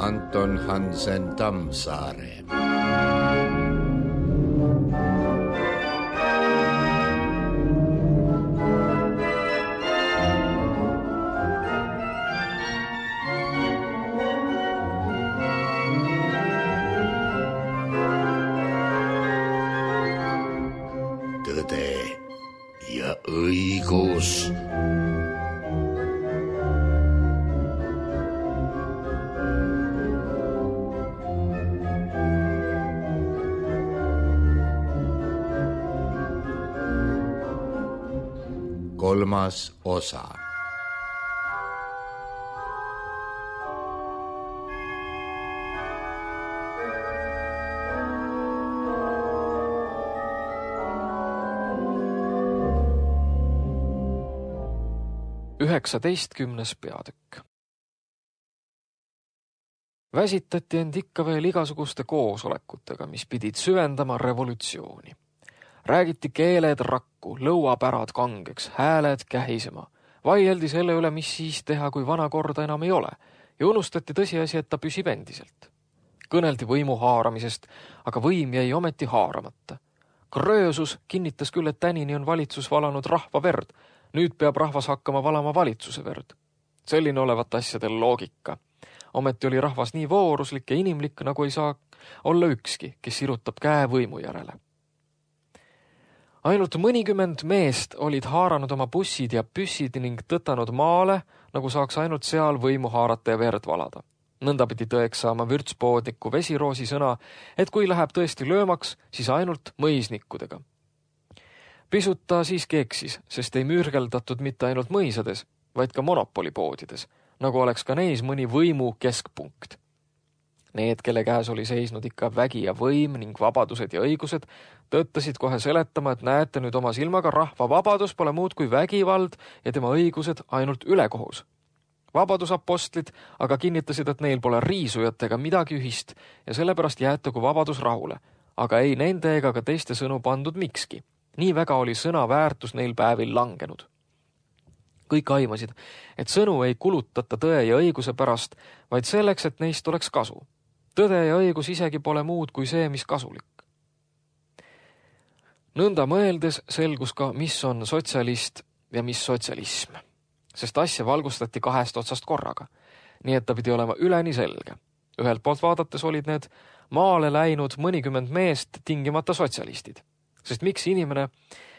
Anton Hansen Tammsaare. Tõde ja õigus. Kolmas osa. Üheksateistkümnes peatükk. Väsitati end ikka veel igasuguste koosolekutega, mis pidid süvendama revolutsiooni. Räägiti keeled rakku, lõuapärad kangeks, hääled kähisema. Vaieldi selle üle, mis siis teha, kui vana korda enam ei ole, ja unustati tõsiasi, et ta püsib endiselt. Kõneldi võimu haaramisest, aga võim jäi ometi haaramata. Kröösus kinnitas küll, et tänini on valitsus valanud rahva verd. Nüüd peab rahvas hakkama valama valitsuse verd. Selline olevat asjadel loogika. Ometi oli rahvas nii vooruslik ja inimlik, nagu ei saa olla ükski, kes sirutab käe võimu järele. Ainult mõnikümmend meest olid haaranud oma bussid ja püssid ning tõtanud maale, nagu saaks ainult seal võimu haarata ja verd valada. Nõnda pidi tõeks saama vürtspoodniku Vesiroosi sõna, et kui läheb tõesti löömaks, siis ainult mõisnikkudega. Pisut ta siiski eksis, sest ei mürgeldatud mitte ainult mõisades, vaid ka monopolipoodides, nagu oleks ka neis mõni võimu keskpunkt. Need, kelle käes oli seisnud ikka vägi ja võim ning vabadused ja õigused, tõttasid kohe seletama, et näete nüüd oma silmaga, rahva vabadus pole muud kui vägivald ja tema õigused ainult ülekohus. Vabadusapostlid aga kinnitasid, et neil pole riisujatega midagi ühist ja sellepärast jäetagu vabadus rahule, aga ei nende ega ka teiste sõnu pandud mikski. Nii väga oli sõna väärtus neil päevil langenud. Kõik aimasid, et sõnu ei kulutata tõe ja õiguse pärast, vaid selleks, et neist oleks kasu. Tõde ja õigus isegi pole muud kui see, mis kasulik. Nõnda mõeldes selgus ka, mis on sotsialist ja mis sotsialism, sest asja valgustati kahest otsast korraga, nii et ta pidi olema üleni selge. Ühelt poolt vaadates olid need maale läinud mõnikümmend meest tingimata sotsialistid, sest miks inimene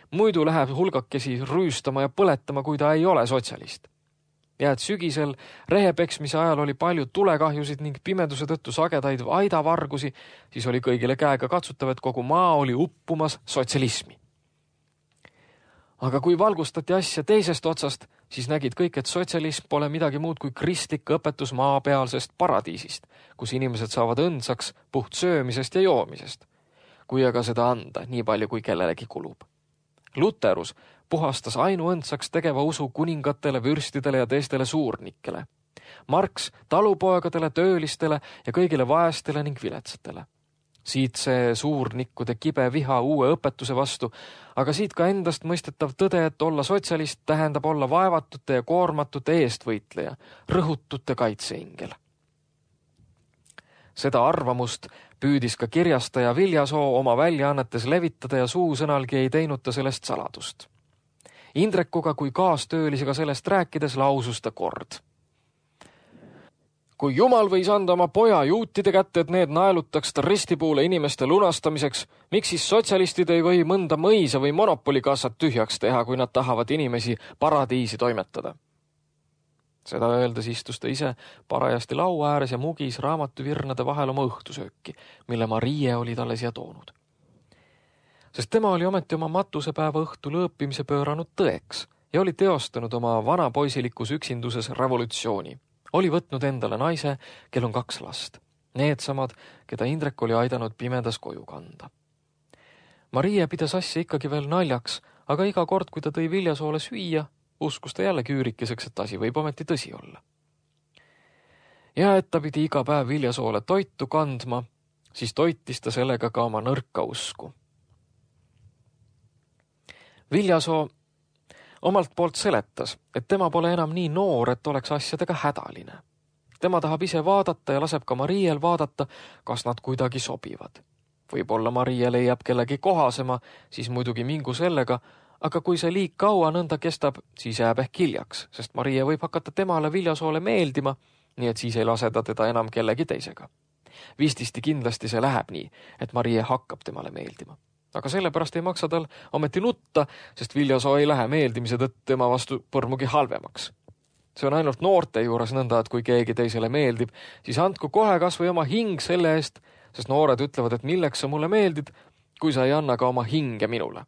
muidu läheb hulgakesi rüüstama ja põletama, kui ta ei ole sotsialist. Ja et sügisel rehepeksmise ajal oli palju tulekahjusid ning pimeduse tõttu sagedaid aidavargusi, siis oli kõigile käega katsutav, et kogu maa oli uppumas sotsialismi. Aga kui valgustati asja teisest otsast, siis nägid kõik, et sotsialism pole midagi muud kui kristlik õpetus maapealsest paradiisist, kus inimesed saavad õndsaks puht söömisest ja joomisest, kui aga seda anda nii palju, kui kellelegi kulub. Luterus puhastas ainuõndsaks tegeva usu kuningatele, vürstidele ja teistele suurnikele. Marx talupoegadele, töölistele ja kõigile vaestele ning viletsatele. Siit see suurnikkude kibe viha uue õpetuse vastu, aga siit ka endast mõistetav tõde, et olla sotsialist tähendab olla vaevatute ja koormatute eestvõitleja, rõhutute kaitseingel. Seda arvamust püüdis ka kirjastaja Viljasoo oma väljaannetes levitada ja suusõnalgi ei teinud ta sellest saladust. Indrekuga kui kaastöölisega sellest rääkides lausus ta kord. Kui Jumal võis anda oma poja juutide kätte, et need naelutaks ta ristipuule inimeste lunastamiseks, miks siis sotsialistid ei või mõnda mõisa või monopolikassat tühjaks teha, kui nad tahavad inimesi paradiisi toimetada? Seda öeldes istus ta ise parajasti laua ääres ja mugis raamatuvirnade vahel oma õhtusööki, mille Marie oli talle siia toonud. Sest tema oli ometi oma matusepäeva õhtu lõõpimise pööranud tõeks ja oli teostanud oma vanapoisilikus üksinduses revolutsiooni. Oli võtnud endale naise, kel on 2 last. Need samad, keda Indrek oli aidanud pimedas koju kanda. Marie pidas asja ikkagi veel naljaks, aga iga kord, kui ta tõi Viljasoole süüa, uskus ta jälle küürikeseks, et asi võib ometi tõsi olla. Ja et ta pidi iga päev Viljasoole toitu kandma, siis toitis ta sellega ka oma nõrka usku. Viljasoo omalt poolt seletas, et tema pole enam nii noor, et oleks asjadega hädaline. Tema tahab ise vaadata ja laseb ka Mariel vaadata, kas nad kuidagi sobivad. Võib-olla Marie leiab kellegi kohasema, siis muidugi mingu sellega, aga kui see liig kaua nõnda kestab, siis jääb ehk hiljaks, sest Marie võib hakata temale Viljasoole meeldima, nii et siis ei lase ta teda enam kellegi teisega. Vististi kindlasti see läheb nii, et Marie hakkab temale meeldima. Aga sellepärast ei maksa tal ometi nutta, sest Viljasoo ei lähe meeldimise tõttu tema vastu põrmugi halvemaks. See on ainult noorte juures nõnda, et kui keegi teisele meeldib, siis andku kohe kas või oma hing selle eest, sest noored ütlevad, et milleks sa mulle meeldid, kui sa ei anna ka oma hinge minule.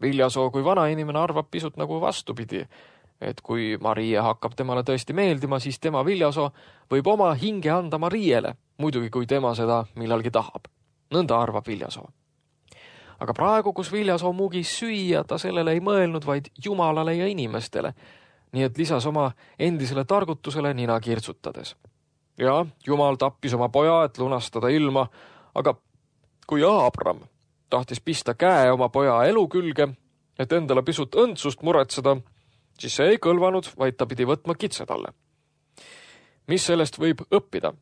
Viljasoo kui vana inimene arvab pisut nagu vastupidi, et kui Marie hakkab temale tõesti meeldima, siis tema Viljasoo võib oma hinge anda Mariele, muidugi kui tema seda millalgi tahab. Nõnda arvab Viljasoo. Aga praegu, kus Viljasoo mugis süüa, ta sellele ei mõelnud, vaid Jumalale ja inimestele, nii et lisas oma endisele targutusele nina kirtsutades. Ja Jumal tappis oma poja, et lunastada ilma, aga kui Aabram tahtis pista käe oma poja elu külge, et endale pisut õndsust muretseda, siis see ei kõlvanud, vaid ta pidi võtma kitse talle. Mis sellest võib õppida?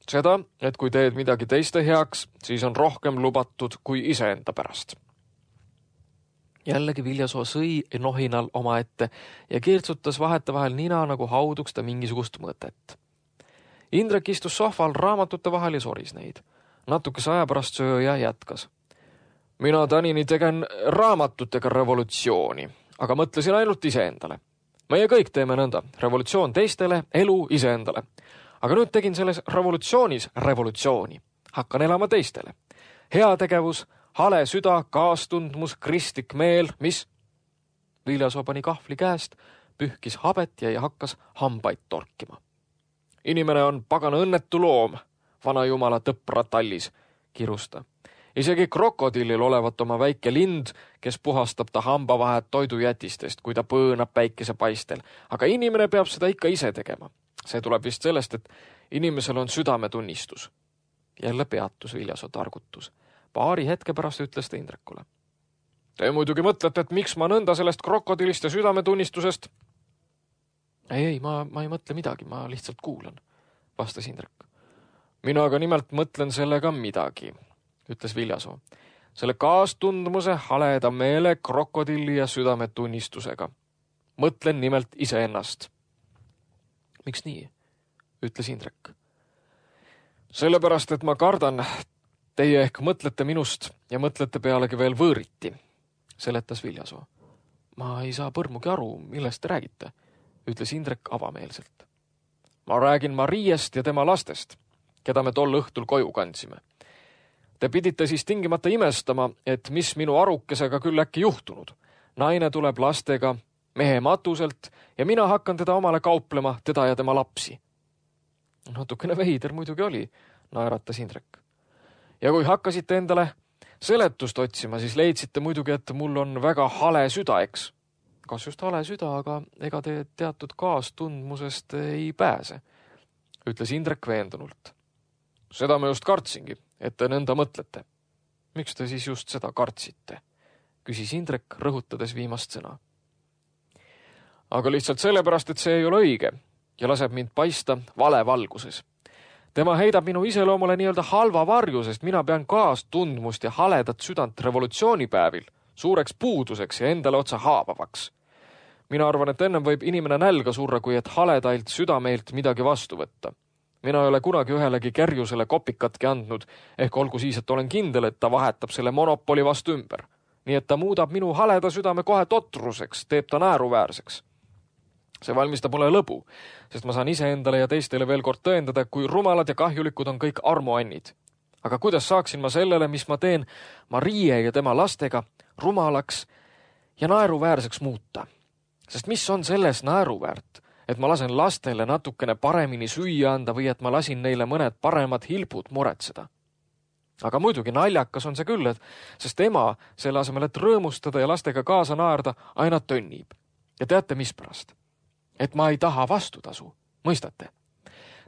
Seda, et kui teed midagi teiste heaks, siis on rohkem lubatud kui iseenda pärast. Jällegi Viljasoo sõi nohinal oma ette ja kirtsutas vahetevahel nina, nagu hauduks ta mingisugust mõtet. Indrek istus sohval raamatute vahel ja soris neid. Natukese aja pärast sööja jätkas. Mina tänini tegen raamatutega revolutsiooni, aga mõtlesin ainult iseendale. Meie kõik teeme nõnda. Revolutsioon teistele, elu iseendale. Aga nüüd tegin selles revolutsioonis revolutsiooni. Hakkan elama teistele. Heategevus, hale süda, kaastundmus, kristlik meel, mis? Viljasoo pani kahvli käest, pühkis habet ja hakkas hambaid torkima. Inimene on pagana õnnetu loom, vana jumala tõpra tallis, kirus ta. Isegi krokodillil olevat oma väike lind, kes puhastab ta hambavahet toidujätistest, kui ta põõnab päikese paistel. Aga inimene peab seda ikka ise tegema. See tuleb vist sellest, et inimesel on südametunnistus. Jälle peatus Viljasoo targutus. Paari hetke pärast ütles ta Indrekule. Te muidugi mõtlete, et miks ma nõnda sellest krokodillist ja südametunnistusest? Ei, ma ei mõtle midagi, ma lihtsalt kuulan, vastas Indrek. Mina aga nimelt mõtlen sellega midagi, ütles Viljasoo. Selle kaastundmuse, haleda meele, krokodilli ja südametunnistusega. Mõtlen nimelt iseennast. Miks nii? Ütles Indrek. Sellepärast, et ma kardan, teie ehk mõtlete minust ja mõtlete pealegi veel võõriti, seletas Viljasoo. Ma ei saa põrmugi aru, millest te räägite, ütles Indrek avameelselt. Ma räägin Mariest ja tema lastest, keda me tol õhtul koju kandsime. Te pidite siis tingimata imestama, et mis minu arukesega küll äkki juhtunud. Naine tuleb lastega mehe matuselt ja mina hakkan teda omale kauplema, teda ja tema lapsi. Natukene veider muidugi oli, naeratas Indrek. Ja kui hakkasite endale seletust otsima, siis leidsite muidugi, et mul on väga hale süda, eks. Kas just hale süda, aga ega te teatud kaastundmusest ei pääse, ütles Indrek veendunult. Seda ma just kartsingi, et te nõnda mõtlete. Miks te siis just seda kartsite? Küsis Indrek, rõhutades viimast sõna. Aga lihtsalt sellepärast, et see ei ole õige ja laseb mind paista valevalguses. Tema heidab minu iseloomule nii-öelda halva varju, sest mina pean kaastundmust ja haledat südant revolutsioonipäevil suureks puuduseks ja endale otsa haavavaks. Mina arvan, et ennem võib inimene nälga surra, kui et haledailt südameilt midagi vastu võtta. Mina ei ole kunagi ühelegi kerjusele kopikatki andnud, ehk olgu siis, et olen kindel, et ta vahetab selle monopoli vastu ümber. Nii et ta muudab minu haleda südame kohe totruseks, teeb ta naeruväärseks. See valmistab mulle lõbu, sest ma saan iseendale ja teistele veel kord tõendada, kui rumalad ja kahjulikud on kõik armuannid. Aga kuidas saaksin ma sellele, mis ma teen Marie ja tema lastega, rumalaks ja naeruväärseks muuta? Sest mis on selles naeruväärt, et ma lasen lastele natukene paremini süüa anda või et ma lasin neile mõned paremad hilbud muretseda? Aga muidugi naljakas on see küll, sest ema selle asemel, et rõõmustada ja lastega kaasa naerda, aina tönnib. Ja teate, mis pärast? Et ma ei taha vastutasu, mõistate?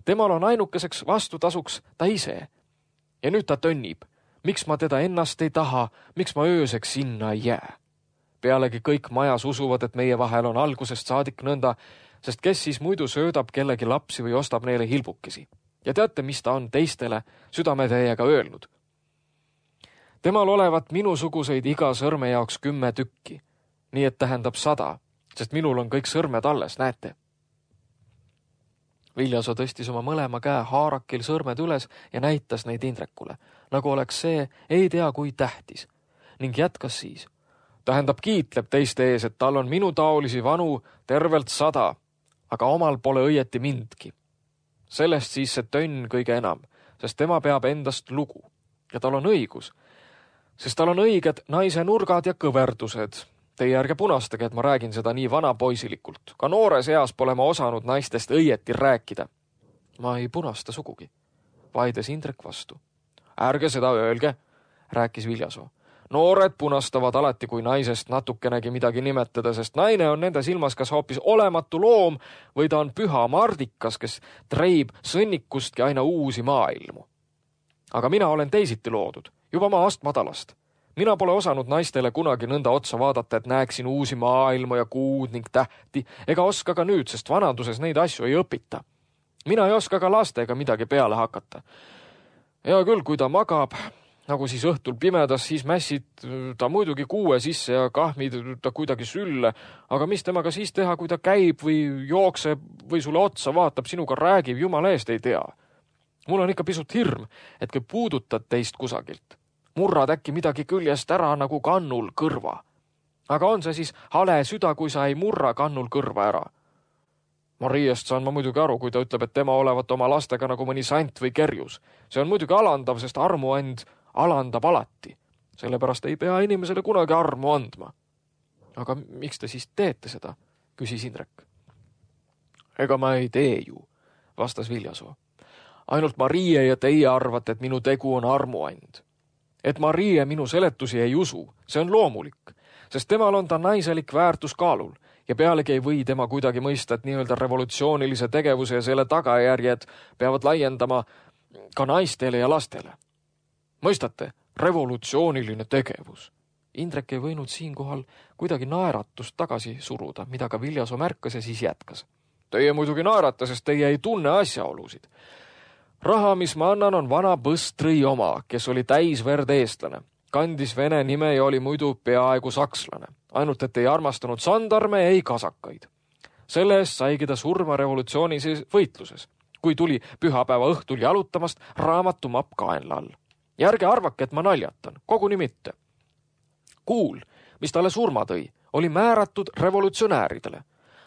Temal on ainukeseks vastutasuks ta ise. Ja nüüd ta tönnib. Miks ma teda ennast ei taha, miks ma ööseks sinna ei jää? Pealegi kõik majas usuvad, et meie vahel on algusest saadik nõnda, sest kes siis muidu söödab kellegi lapsi või ostab neile hilbukesi. Ja teate, mis ta on teistele südametäiega öelnud? Temal olevat minusuguseid iga sõrme jaoks 10 tükki. Nii et tähendab 100, sest minul on kõik sõrmed alles, näete. Viljasoo tõstis oma mõlema käe haarakil sõrmed üles ja näitas neid Indrekule, nagu oleks see ei tea kui tähtis, ning jätkas siis. Tähendab kiitleb teiste ees, et tal on minu taolisi vanu tervelt 100, aga omal pole õieti mindki. Sellest siis see tönn kõige enam, sest tema peab endast lugu. Ja tal on õigus, sest tal on õiged naise nurgad ja kõverdused. Teie ärge punastage, et ma räägin seda nii vanapoisilikult. Ka noores eas pole ma osanud naistest õieti rääkida. Ma ei punasta sugugi, vaides Indrek vastu. Ärge seda öelge, rääkis Viljasoo. Noored punastavad alati, kui naisest natukenegi midagi nimetada, sest naine on nende silmas kas hoopis olematu loom või ta on püha mardikas, kes treib sõnnikustki aina uusi maailmu. Aga mina olen teisiti loodud, juba maast madalast. Mina pole osanud naistele kunagi nõnda otsa vaadata, et näeksin uusi maailmu ja kuud ning tähti, ega oska ka nüüd, sest vanaduses neid asju ei õpita. Mina ei oska ka lastega midagi peale hakata. Ja küll, kui ta magab, nagu siis õhtul pimedas, siis mässid ta muidugi kuue sisse ja kahmid ta kuidagi sülle, aga mis temaga siis teha, kui ta käib või jookseb või sulle otsa vaatab, sinuga räägib, jumala eest ei tea. Mul on ikka pisut hirm, et kui puudutad teist kusagilt, murrad äkki midagi küljest ära nagu kannul kõrva. Aga on see siis hale süda, kui sa ei murra kannul kõrva ära? Mariest saan ma muidugi aru, kui ta ütleb, et tema olevat oma lastega nagu mõni sant või kerjus. See on muidugi alandav, sest armuand alandab alati. Sellepärast ei pea inimesele kunagi armu andma. Aga miks te siis teete seda? Küsis Indrek. Ega ma ei tee ju, vastas Viljasoo. Ainult Marie ja teie arvate, et minu tegu on armuand. Et Marie minu seletusi ei usu, see on loomulik, sest temal on ta naiselik väärtus kaalul ja pealegi ei või tema kuidagi mõista, et nii-öelda revolutsioonilise tegevuse ja selle tagajärjed peavad laiendama ka naistele ja lastele. Mõistate, revolutsiooniline tegevus. Indrek ei võinud siinkohal kuidagi naeratust tagasi suruda, mida ka Viljasoo märkas ja siis jätkas. Teie muidugi naerate, sest teie ei tunne asjaolusid. Raha, mis ma annan, on vana Põstri oma, kes oli täisverd eestlane. Kandis vene nime ja oli muidu peaaegu sakslane. Ainult, et ei armastanud sandarme, ei kasakaid. Selle eest saigi ta surma revolutsioonises võitluses, kui tuli pühapäeva õhtul jalutamast raamatumapp kaenla all. Ja ärge arvake, et ma naljatan, koguni mitte. Kuul, mis talle surma tõi, oli määratud revolutsionääridele.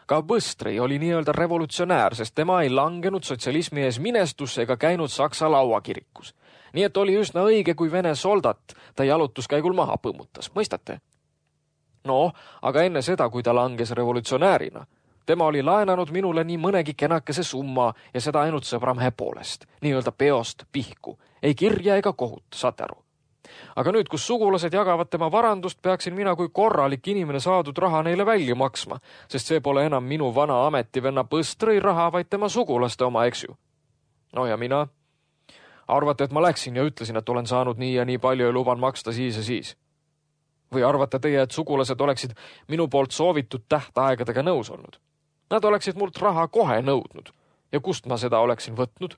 Ka Põstri oli nii-öelda revolutsionäär, sest tema ei langenud sotsialismi ees minestusse ega käinud Saksa lauakirikus. Nii et oli üsna õige, kui vene soldat ta jalutuskäigul maha põmmutas, mõistate? No, aga enne seda, kui ta langes revolutsionäärina, tema oli laenanud minule nii mõnegi kenakese summa ja seda ainult sõbramehe poolest, nii-öelda peost pihku, ei kirja ega kohut, saate aru. Aga nüüd, kus sugulased jagavad tema varandust, peaksin mina kui korralik inimene saadud raha neile välja maksma, sest see pole enam minu vana ametivenna Põstri raha, vaid tema sugulaste oma, eks ju. No ja mina? Arvate, et ma läksin ja ütlesin, et olen saanud nii ja nii palju ja luban maksta siis ja siis? Või arvate teie, et sugulased oleksid minu poolt soovitud tähtaegadega nõus olnud? Nad oleksid mult raha kohe nõudnud. Ja kust ma seda oleksin võtnud?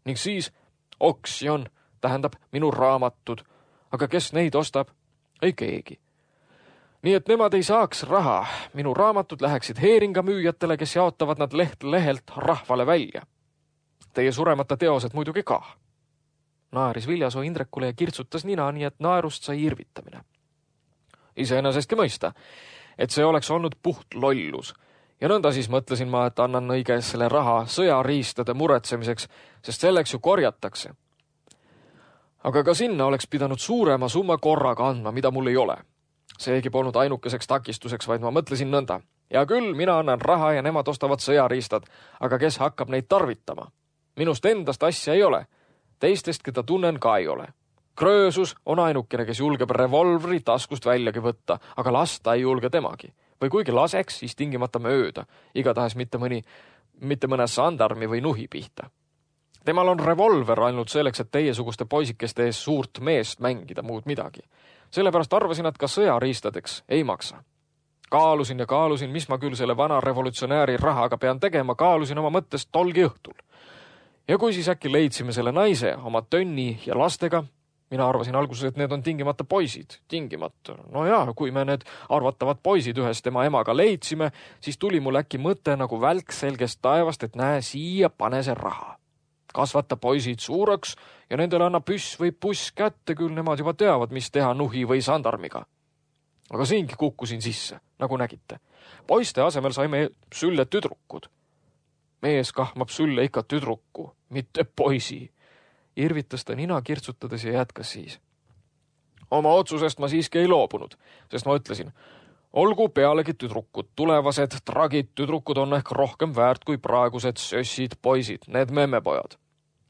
Ning siis oksjon tähendab minu raamatud. Aga kes neid ostab? Ei keegi. Nii et nemad ei saaks raha. Minu raamatud läheksid heeringa müüjatele, kes jaotavad nad lehelt rahvale välja. Teie suremata teosed muidugi ka. Naeris Viljasoo Indrekule ja kirtsutas nina, nii et naerust sai irvitamine. Iseenesestki mõista, et see oleks olnud puht lollus. Ja nõnda siis mõtlesin ma, et annan õige selle raha sõjariistade muretsemiseks, sest selleks ju korjatakse. Aga ka sinna oleks pidanud suurema summa korraga andma, mida mul ei ole. Seegi polnud ainukeseks takistuseks, vaid ma mõtlesin nõnda. Ja küll, mina annan raha ja nemad ostavad sõjariistad, aga kes hakkab neid tarvitama? Minust endast asja ei ole. Teistest, keda tunnen, ka ei ole. Kröösus on ainukene, kes julgeb revolvri taskust väljagi võtta, aga lasta ei julge temagi. Või kuigi laseks, siis tingimata mööda, igatahes mitte mõne sandarmi või nuhi pihta. Temal on revolver ainult selleks, et teiesuguste poisikeste ees suurt meest mängida, muud midagi. Sellepärast arvasin, et ka sõjariistadeks ei maksa. Kaalusin ja kaalusin, mis ma küll selle vana revolutsionääri rahaga pean tegema, kaalusin oma mõttest tolgi õhtul. Ja kui siis äkki leidsime selle naise oma tönni ja lastega, mina arvasin alguses, et need on tingimata poisid, tingimata. No jaa, kui me need arvatavad poisid ühes tema emaga leidsime, siis tuli mul äkki mõte nagu välk selgest taevast, et näe, siia pane see raha. Kasvata poisid suureks ja nendele anna püss või puss kätte, küll nemad juba teavad, mis teha nuhi või sandarmiga. Aga siingi kukkusin sisse, nagu nägite. Poiste asemel saime sülle tüdrukud. Mees kahmab sülle ikka tüdruku, mitte poisi. Irvitas ta nina kirtsutades ja jätkas siis. Oma otsusest ma siiski ei loobunud, sest ma ütlesin, olgu pealegi tüdrukud, tulevased tragid tüdrukud on ehk rohkem väärt kui praegused sössid poisid, need memmepojad.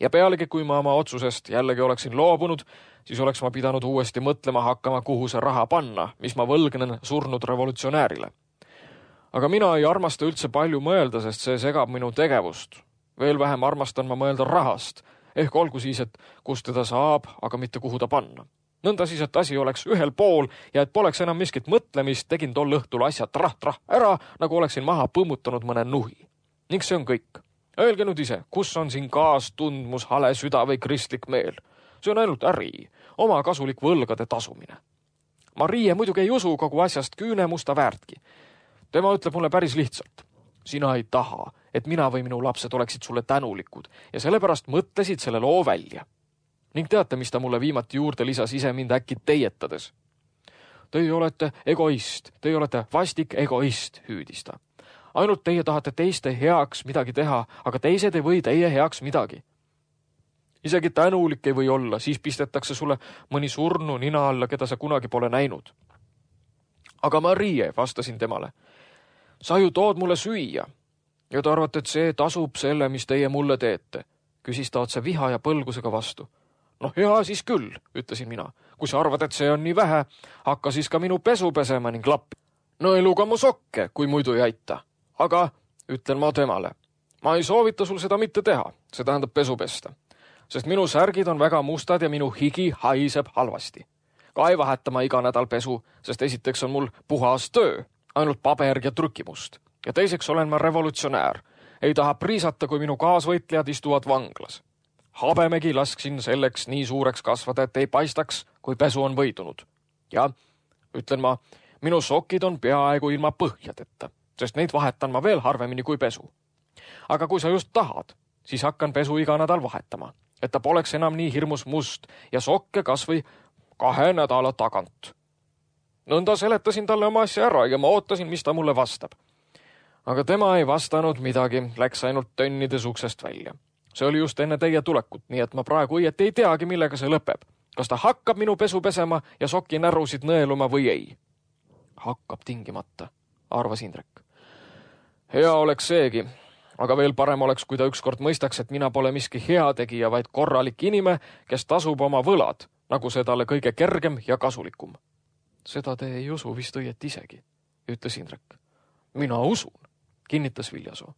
Ja pealegi, kui ma oma otsusest jällegi oleksin loobunud, siis oleks ma pidanud uuesti mõtlema hakkama, kuhu see raha panna, mis ma võlgnen surnud revolutsionäärile. Aga mina ei armasta üldse palju mõelda, sest see segab minu tegevust. Veel vähem armastan ma mõelda rahast, ehk olgu siis, et kust teda saab, aga mitte kuhu ta panna. Nõnda siis, et asi oleks ühel pool ja et poleks enam miskit mõtlemist, tegin tol õhtul asja trah-trah ära, nagu oleksin maha põmmutanud mõne nuhi. Ning see on kõik. Öelge nüüd ise, kus on siin kaastundmus, hale süda või kristlik meel? See on ainult äri, oma kasulik võlgade tasumine. Marie muidugi ei usu kogu asjast küünemusta väärtki. Tema ütleb mulle päris lihtsalt. Sina ei taha, et mina või minu lapsed oleksid sulle tänulikud ja sellepärast mõtlesid selle loo välja. Ning teate, mis ta mulle viimati juurde lisas ise mind äkki teietades? Teie olete egoist, teie olete vastik egoist, hüüdis ta. Ainult teie tahate teiste heaks midagi teha, aga teised ei või teie heaks midagi. Isegi tänulik ei või olla, siis pistetakse sulle mõni surnu nina alla, keda sa kunagi pole näinud. Aga Marie, vastasin temale, sa ju tood mulle süüa ja te arvate, et see tasub selle, mis teie mulle teete, küsis ta otse viha ja põlgusega vastu. Noh, hea siis küll, ütlesin mina. Kui sa arvad, et see on nii vähe, hakka siis ka minu pesu pesema ning lappi. No eluga mu sokke, kui muidu ei aita. Aga, ütlen ma temale, ma ei soovita sul seda mitte teha, see tähendab pesu pesta, sest minu särgid on väga mustad ja minu higi haiseb halvasti. Ka ei vaheta ma iga nädal pesu, sest esiteks on mul puhas töö, ainult paber ja trükimust. Ja teiseks olen ma revolutsionäär. Ei taha priisata, kui minu kaasvõitlejad istuvad vanglas. Habemegi lasksin selleks nii suureks kasvada, et ei paistaks, kui pesu on võidunud. Ja, ütlen ma, minu sokid on peaaegu ilma põhjadeta, sest neid vahetan ma veel harvemini kui pesu. Aga kui sa just tahad, siis hakkan pesu iga nädal vahetama, et ta poleks enam nii hirmus must ja sokke kas või 2 nädala tagant. Nõnda seletasin talle oma asja ära ja ma ootasin, mis ta mulle vastab. Aga tema ei vastanud midagi, läks ainult tönnides uksest välja. See oli just enne teie tulekut, nii et ma praegu õieti ei teagi, millega see lõpeb. Kas ta hakkab minu pesu pesema ja soki närusid nõeluma või ei? Hakkab tingimata, arvas Indrek. Hea oleks seegi, aga veel parem oleks, kui ta ükskord mõistaks, et mina pole miski heategija, vaid korralik inime, kes tasub oma võlad, nagu see talle kõige kergem ja kasulikum. Seda te ei usu vist õieti isegi, ütles Indrek. Mina usun, kinnitas Viljasoo.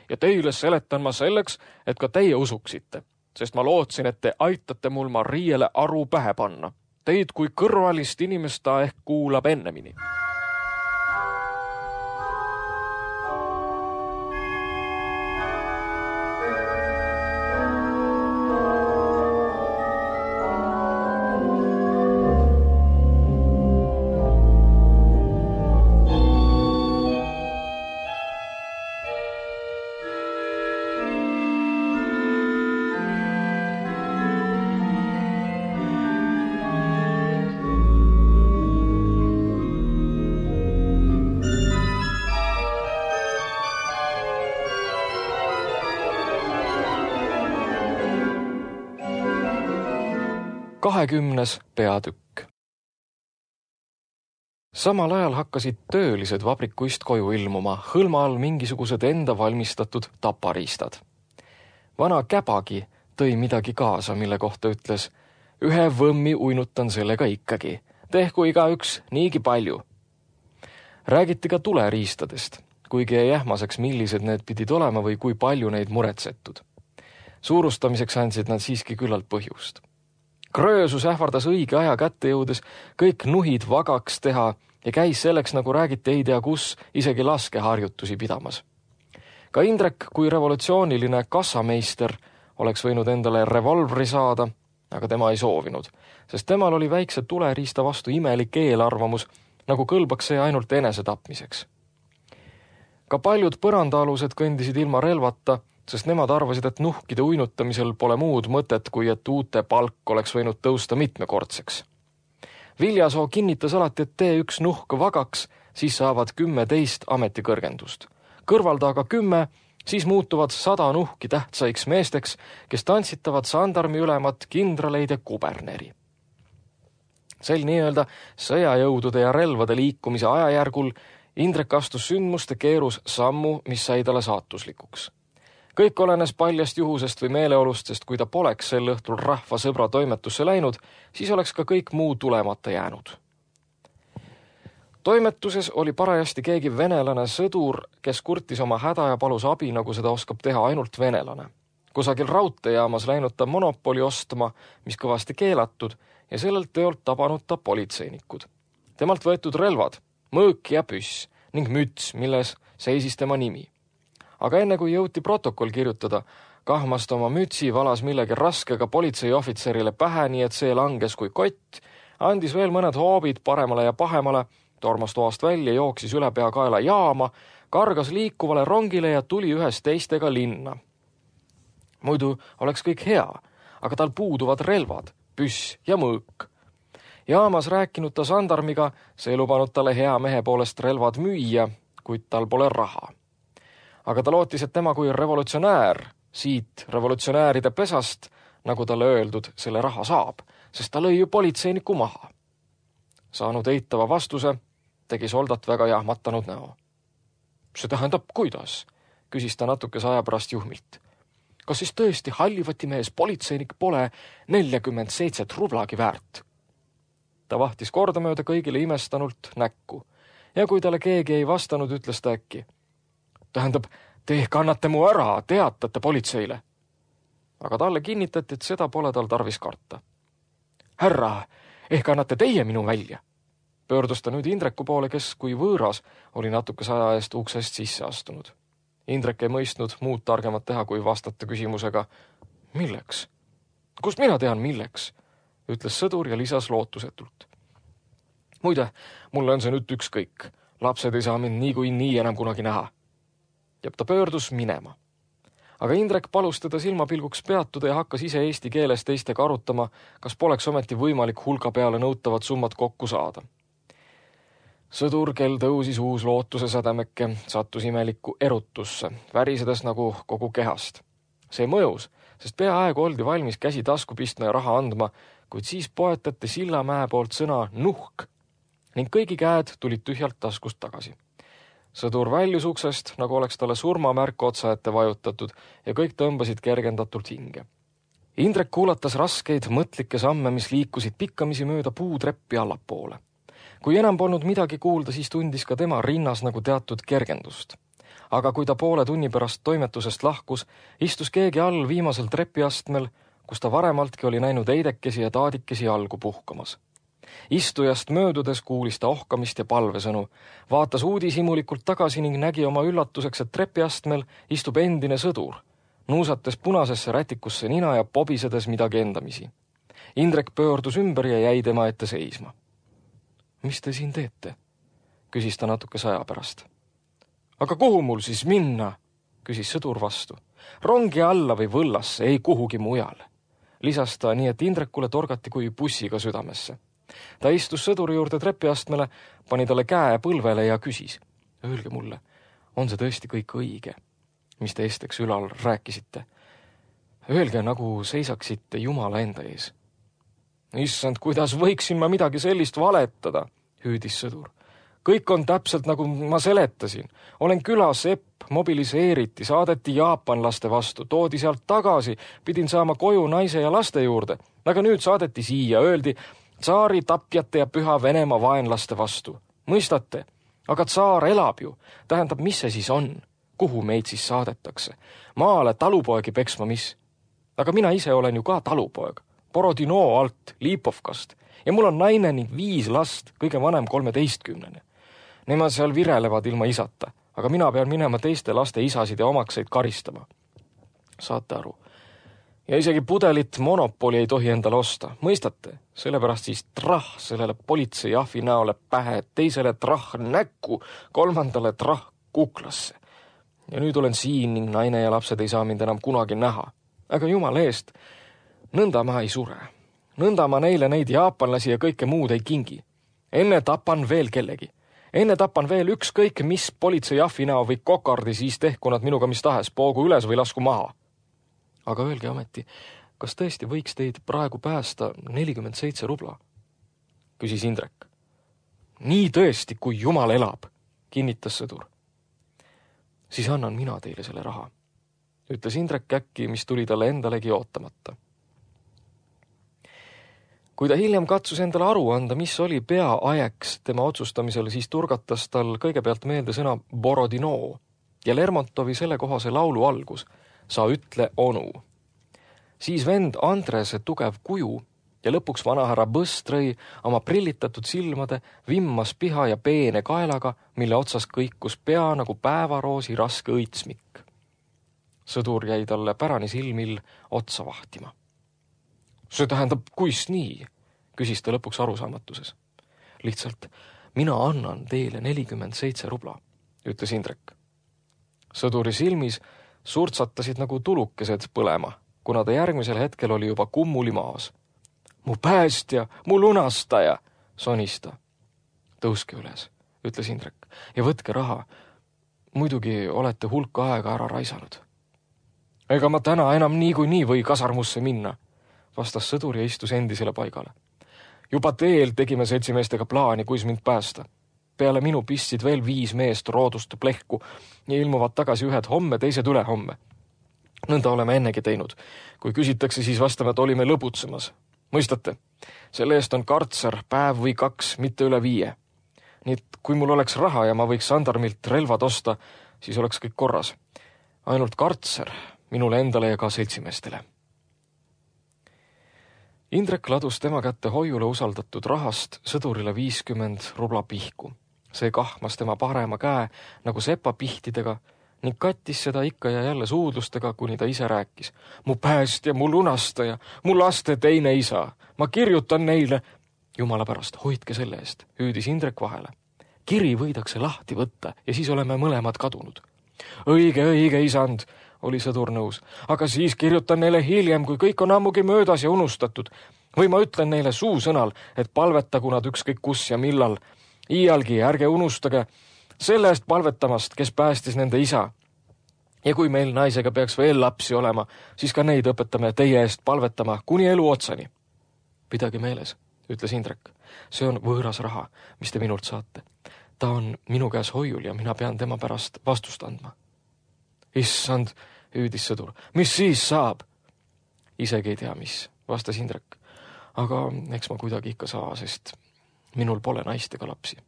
Ja teile seletan ma selleks, et ka teie usuksite, sest ma lootsin, et te aitate mul Mariele aru pähe panna. Teid kui kõrvalist inimest ta ehk kuulab ennemini. Kahekümnes peatükk. Samal ajal hakkasid töölised vabrikuist koju ilmuma, hõlma all mingisugused enda valmistatud tapariistad. Vana Käbagi tõi midagi kaasa, mille kohta ütles, ühe võmmi uinutan sellega ikkagi, tehku igaüks niigi palju. Räägiti ka tuleriistadest, kuigi jäi ähmaseks, millised need pidid olema või kui palju neid muretsetud. Suurustamiseks andsid nad siiski küllalt põhjust. Kröösus ähvardas õige aja kätte jõudes kõik nuhid vagaks teha ja käis selleks, nagu räägiti ei tea kus, isegi laskeharjutusi pidamas. Ka Indrek kui revolutsiooniline kassameister oleks võinud endale revolvri saada, aga tema ei soovinud, sest temal oli väikse tuleriista vastu imelik eelarvamus, nagu kõlbaks see ainult enese tapmiseks. Ka paljud põrandaalused kõndisid ilma relvata, sest nemad arvasid, et nuhkide uinutamisel pole muud mõtet, kui et uute palk oleks võinud tõusta mitmekordseks. Viljasoo kinnitas alati, et tee üks nuhk vagaks, siis saavad 10 ametikõrgendust. Kõrvalda aga 10, siis muutuvad 100 nuhki tähtsaiks meesteks, kes tantsitavad sandarmi ülemat, kindraleid ja kuberneri. Sel nii-öelda sõjajõudude ja relvade liikumise ajajärgul Indrek astus sündmuste keerus sammu, mis sai talle saatuslikuks. Kõik olenes paljast juhusest või meeleolust, sest kui ta poleks sel õhtul rahva sõbra toimetusse läinud, siis oleks ka kõik muu tulemata jäänud. Toimetuses oli parajasti keegi venelane sõdur, kes kurtis oma häda ja palus abi, nagu seda oskab teha ainult venelane. Kusagil raudteejaamas läinud ta monopoli ostma, mis kõvasti keelatud, ja sellelt teolt tabanud ta politseinikud. Temalt võetud relvad, mõõk ja püss ning müts, milles seisis tema nimi. Aga enne kui jõuti protokoll kirjutada, kahmas ta oma mütsi, valas millegi raskega politseiohvitserile pähe, nii et see langes kui kott, andis veel mõned hoobid paremale ja pahemale, tormas toast välja, jooksis üle peakaela jaama, kargas liikuvale rongile ja tuli ühes teistega linna. Muidu oleks kõik hea, aga tal puuduvad relvad, püss ja mõõk. Jaamas rääkinud ta sandarmiga, see lubanud talle hea mehe poolest relvad müüa, kuid tal pole raha. Aga ta lootis, et tema kui revolutsionäär, siit revolutsionääride pesast, nagu talle öeldud, selle raha saab, sest ta lõi ju politseiniku maha. Saanud eitava vastuse, tegi soldat väga jahmatanud näo. See tähendab, kuidas? Küsis ta natukese aja pärast juhmilt. Kas siis tõesti hallivatimees politseinik pole 47 rublagi väärt? Ta vahtis kordamööda kõigile imestanult näkku ja kui talle keegi ei vastanud, ütles ta äkki. Tähendab, te ehk annate mu ära, teatate politseile. Aga talle kinnitati, et seda pole tal tarvis karta. Härra, ehk annate teie minu välja? Pöördus ta nüüd Indreku poole, kes kui võõras oli natukese aja eest uksest sisse astunud. Indrek ei mõistnud muud targemat teha, kui vastata küsimusega. Milleks? Kust mina tean milleks? Ütles sõdur ja lisas lootusetult. Muide, mulle on see nüüd ükskõik. Lapsed ei saa mind nii enam kunagi näha. Ja ta pöördus minema. Aga Indrek palus teda silmapilguks peatuda ja hakkas ise eesti keeles teistega arutama, kas poleks ometi võimalik hulga peale nõutavad summad kokku saada. Sõdur, kel tõusis uus lootuse sädemekke, sattus imelikku erutusse, värisedes nagu kogu kehast. See mõjus, sest peaaegu oldi valmis käsi tasku pistma ja raha andma, kuid siis poetati Sillamäe poolt sõna nuhk ning kõigi käed tulid tühjalt taskust tagasi. Sõdur väljus uksest, nagu oleks talle surmamärk otsa ette vajutatud ja kõik tõmbasid kergendatult hinge. Indrek kuulatas raskeid mõtlikke samme, mis liikusid pikkamisi mööda puutreppi allapoole. Kui enam polnud midagi kuulda, siis tundis ka tema rinnas nagu teatud kergendust. Aga kui ta poole tunni pärast toimetusest lahkus, istus keegi all viimasel trepiastmel, kus ta varemaltki oli näinud eidekesi ja taadikesi algu puhkamas. Istujast möödudes kuulis ta ohkamist ja palvesõnu, vaatas uudishimulikult tagasi ning nägi oma üllatuseks, et trepiastmel istub endine sõdur, nuusates punasesse rätikusse nina ja pobisedes midagi endamisi. Indrek pöördus ümber ja jäi tema ette seisma. Mis te siin teete? Küsis ta natukese aja pärast. Aga kuhu mul siis minna? Küsis sõdur vastu. Rongi alla või võllasse, ei kuhugi mujal. Lisas ta nii, et Indrekule torgati kui bussiga südamesse. Ta istus sõduri juurde trepiastmele, pani talle käe põlvele ja küsis. Öelge mulle, on see tõesti kõik õige, mis te esteks ülal rääkisite? Öelge, nagu seisaksite Jumala enda ees. Issand, kuidas võiksin ma midagi sellist valetada, hüüdis sõdur. Kõik on täpselt nagu ma seletasin. Olen külasepp, mobiliseeriti, saadeti jaapanlaste vastu, toodi sealt tagasi, pidin saama koju naise ja laste juurde. Aga nüüd saadeti siia, öeldi tsaari tapjate ja püha Venemaa vaenlaste vastu. Mõistate? Aga tsaar elab ju. Tähendab, mis see siis on? Kuhu meid siis saadetakse? Maale talupoegi peksma mis? aga mina ise olen ju ka talupoeg, Borodino alt, Lipovkast ja mul on naine ning 5 last, kõige vanem 13. Nemad seal virelevad ilma isata, aga mina pean minema teiste laste isasid ja omakseid karistama. Saate aru? Ja isegi pudelit Monopoli ei tohi endale osta, mõistate? Sellepärast siis trah sellele politseiahvi näole pähe, teisele trah näkku, 3. trah kuklasse. Ja nüüd olen siin ning naine ja lapsed ei saa mind enam kunagi näha. Aga jumala eest, nõnda ma ei sure. Nõnda ma neile neid jaapanlasi ja kõike muud ei kingi. Enne tapan veel kellegi. Enne tapan veel ükskõik mis politseiahvi näo või kokardi, siis tehku nad minuga mis tahes, poogu üles või lasku maha. Aga öelge ometi, kas tõesti võiks teid praegu päästa 47 rubla? Küsis Indrek. Nii tõesti, kui jumal elab, kinnitas sõdur. Siis annan mina teile selle raha, ütles Indrek äkki, mis tuli talle endalegi ootamata. Kui ta hiljem katsus endale aru anda, mis oli peaajeks tema otsustamisel, siis turgatas tal kõigepealt meelde sõna Borodino ja Lermontovi sellekohase laulu algus, sa ütle onu. Siis vend Andrese tugev kuju ja lõpuks vanahärra Bëstrõi oma prillitatud silmade, vimmas piha ja peene kaelaga, mille otsas kõikus pea nagu päevaroosi raske õitsmik. Sõdur jäi talle pärani silmil otsa vahtima. See tähendab, kuis nii, küsis ta lõpuks arusaamatuses. Lihtsalt, mina annan teile 47 rubla, ütles Indrek. Sõduri silmis surtsatasid nagu tulukesed põlema, kuna ta järgmisel hetkel oli juba kummuli maas. Mu päästja, mu lunastaja, sonis ta. Tõuske üles, ütles Indrek, ja võtke raha. Muidugi olete hulka aega ära raisanud. Ega ma täna enam niikuinii või kasarmusse minna, vastas sõdur ja istus endisele paigale. Juba teel tegime seltsimeestega plaani, kuis mind päästa. Peale minu pistsid veel 5 meest roodust plehku ja ilmuvad tagasi ühed homme, teised ülehomme. Nõnda oleme ennegi teinud. Kui küsitakse, siis vastame, et olime lõbutsemas. Mõistate? Selle eest on kartser päev või 2, mitte üle 5. Nii et kui mul oleks raha ja ma võiks Sandarmilt relvad osta, siis oleks kõik korras. Ainult kartser minule endale ja ka seltsimeestele. Indrek ladus tema kätte hoiule usaldatud rahast sõdurile 50 rubla pihku. See kahmas tema parema käe nagu sepapihtidega ning kattis seda ikka ja jälle suudlustega, kuni ta ise rääkis. Mu päästja, mu lunastaja, mu laste teine isa. Ma kirjutan neile. Jumala pärast, hoidke selle eest, hüüdis Indrek vahele. Kiri võidakse lahti võtta ja siis oleme mõlemad kadunud. Õige, isand, oli sõdur nõus. Aga siis kirjutan neile hiljem, kui kõik on ammugi möödas ja unustatud. Või ma ütlen neile suusõnal, et palvetagu nad ükskõik kus ja millal. Iialgi ärge unustage selle eest palvetamast, kes päästis nende isa. Ja kui meil naisega peaks veel lapsi olema, siis ka neid õpetame teie eest palvetama kuni elu otsani. Pidage meeles, ütles Indrek. See on võõras raha, mis te minult saate. Ta on minu käes hoiul ja mina pean tema pärast vastust andma. Issand, hüüdis sõdur. Mis siis saab? Isegi ei tea, mis, vastas Indrek. Aga eks ma kuidagi ikka saa, sest minul pole naist ega lapsi.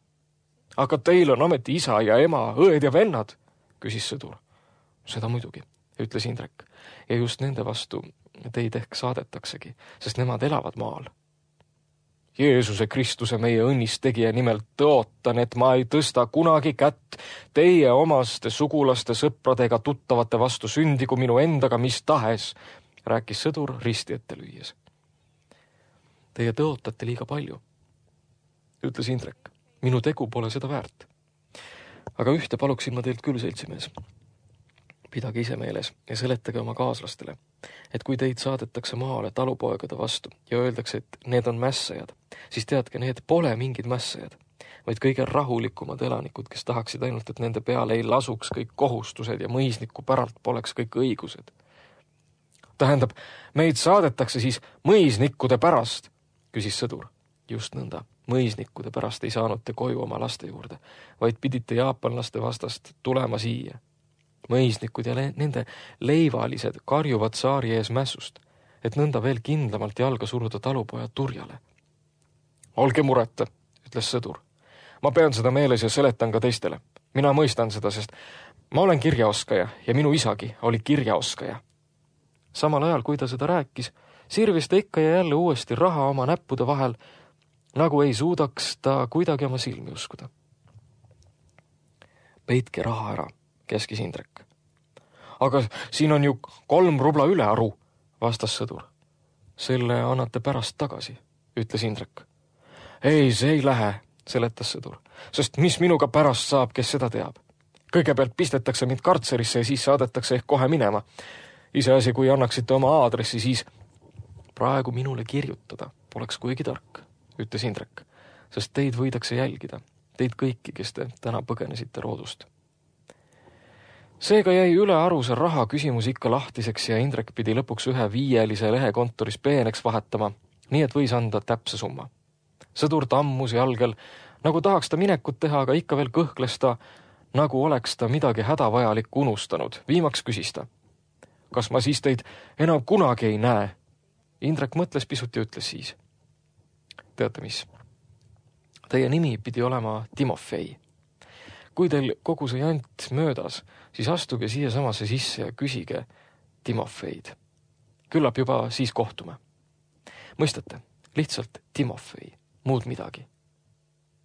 Aga teil on ometi isa ja ema, õed ja vennad, küsis sõdur. Seda muidugi, ütles Indrek. Ja just nende vastu teid ehk saadetaksegi, sest nemad elavad maal. Jeesuse Kristuse meie õnnistegija nimel tõotan, et ma ei tõsta kunagi kätt teie omaste sugulaste sõpradega tuttavate vastu sündigu minu endaga mis tahes, rääkis sõdur risti ette lüües. Teie tõotate liiga palju, ütles Indrek. Minu tegu pole seda väärt. Aga ühte paluksin ma teilt küll, seltsimees. Pidage ise meeles ja seletage oma kaaslastele, et kui teid saadetakse maale talupoegade vastu ja öeldakse, et need on mässajad, siis teadke, need pole mingid mässajad, vaid kõige rahulikumad elanikud, kes tahaksid ainult, et nende peale ei lasuks kõik kohustused ja mõisniku päralt poleks kõik õigused. Tähendab, meid saadetakse siis mõisnikkude pärast, küsis sõdur. Just nõnda, mõisnikkude pärast ei saanud te koju oma laste juurde, vaid pidite jaapanlaste vastast tulema siia. Mõisnikud ja nende leivalised karjuvad saari ees mässust, et nõnda veel kindlamalt jalga suruda talupojad turjale. Olge mureta, ütles sõdur. Ma pean seda meeles ja seletan ka teistele. Mina mõistan seda, sest ma olen kirjaoskaja ja minu isagi oli kirjaoskaja. Samal ajal, kui ta seda rääkis, sirvis ta ikka ja jälle uuesti raha oma näppude vahel, nagu ei suudaks ta kuidagi oma silmi uskuda. Peitke raha ära, käskis Indrek. Aga siin on ju 3 rubla ülearu, vastas sõdur. Selle annate pärast tagasi, ütles Indrek. Ei, see ei lähe, seletas sõdur, sest mis minuga pärast saab, kes seda teab. Kõigepealt pistetakse mind kartserisse ja siis saadetakse ehk kohe minema. Iseasi, kui annaksite oma aadressi, siis praegu minule kirjutada poleks kuigi tark, ütles Indrek, sest teid võidakse jälgida, teid kõiki, kes te täna põgenesite roodust. Seega jäi ülearuse raha küsimus ikka lahtiseks ja Indrek pidi lõpuks 1 5 lehe kontoris peeneks vahetama, nii et võis anda täpse summa. Sõdur tammus jalgel, nagu tahaks ta minekut teha, aga ikka veel kõhkles ta, nagu oleks ta midagi hädavajalikku unustanud. Viimaks küsis ta. Kas ma siis teid enam kunagi ei näe? Indrek mõtles pisut ja ütles siis. Teate mis? Teie nimi pidi olema Timofei. Kui teil kogu see jant möödas, siis astuge siia samasse sisse ja küsige Timofeid. Küllap juba siis kohtume. Mõistate, lihtsalt Timofei, muud midagi.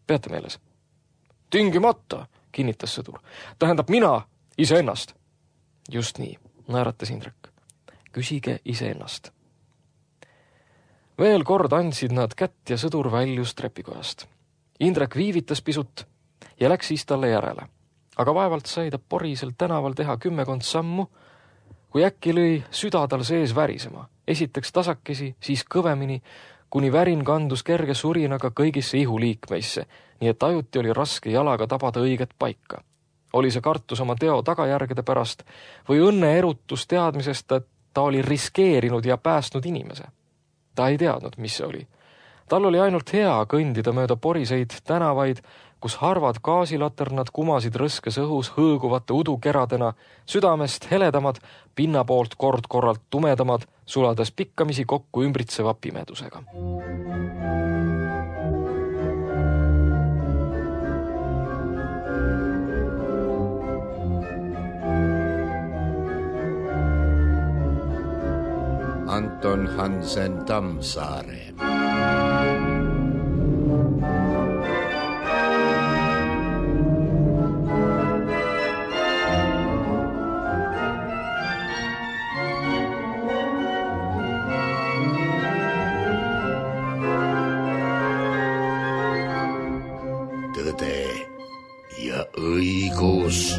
Peate meeles? Tingimata, kinnitas sõdur. Tähendab mina iseennast. Just nii, naeratas Indrek. Küsige iseennast. Veel kord andsid nad kätt ja sõdur väljus trepikojast. Indrek viivitas pisut ja läks siis talle järele. Aga vaevalt sai ta porisel tänaval teha 10 sammu, kui äkki lõi süda tal sees värisema. Esiteks tasakesi, siis kõvemini, kuni värin kandus kerge surinaga kõigisse ihuliikmeisse, nii et ajuti oli raske jalaga tabada õiget paika. Oli see kartus oma teo tagajärgede pärast või õnne erutus teadmisest, et ta oli riskeerinud ja päästnud inimese. Ta ei teadnud, mis see oli. Tal oli ainult hea kõndida mööda poriseid tänavaid, kus harvad gaasilaternad kumasid rõskes õhus hõõguvate udukeradena, südamest heledamad, pinna poolt kord-korralt tumedamad, sulades pikkamisi kokku ümbritseva pimedusega. Anton Hansen Tammsaare. Tõde ja õigus.